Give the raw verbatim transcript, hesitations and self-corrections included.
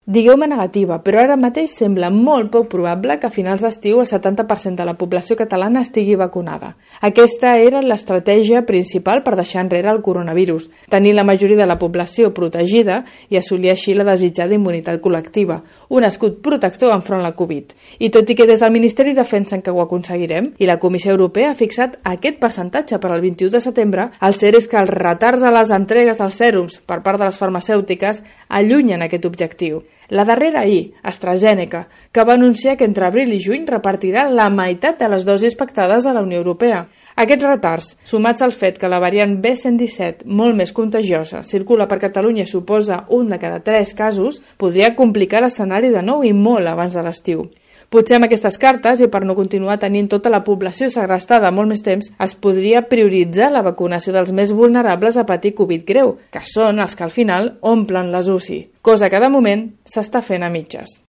Digueu-me negativa, però ara mateix sembla molt poc probable que a finals d'estiu el setanta per cent de la població catalana estigui vacunada. Aquesta era l'estratègia principal per deixar enrere el coronavirus, tenir la majoria de la població protegida i assolir així la desitjada immunitat col·lectiva, un escut protector enfront la Covid. I tot i que des del Ministeri defensen que ho aconseguirem i la Comissió Europea ha fixat aquest percentatge per al vint-i-u de setembre, el cert és que els retards a les entregues dels sèrums per part de les farmacèutiques allunyen aquest objectiu. La darrera ahir, AstraZeneca, que va anunciar que entre abril i juny repartirà la meitat de les dosis pactades a la Unió Europea. Aquests retards, sumats al fet que la variant B cent disset, molt més contagiosa, circula per Catalunya i suposa un de cada tres casos, podria complicar l'escenari de nou i molt abans de l'estiu. Potser amb aquestes cartes, i per no continuar tenint tota la població segrestada molt més temps, es podria prioritzar la vacunació dels més vulnerables a patir Covid greu, que són els que al final omplen les U C I, cosa que de moment s'està fent a mitges.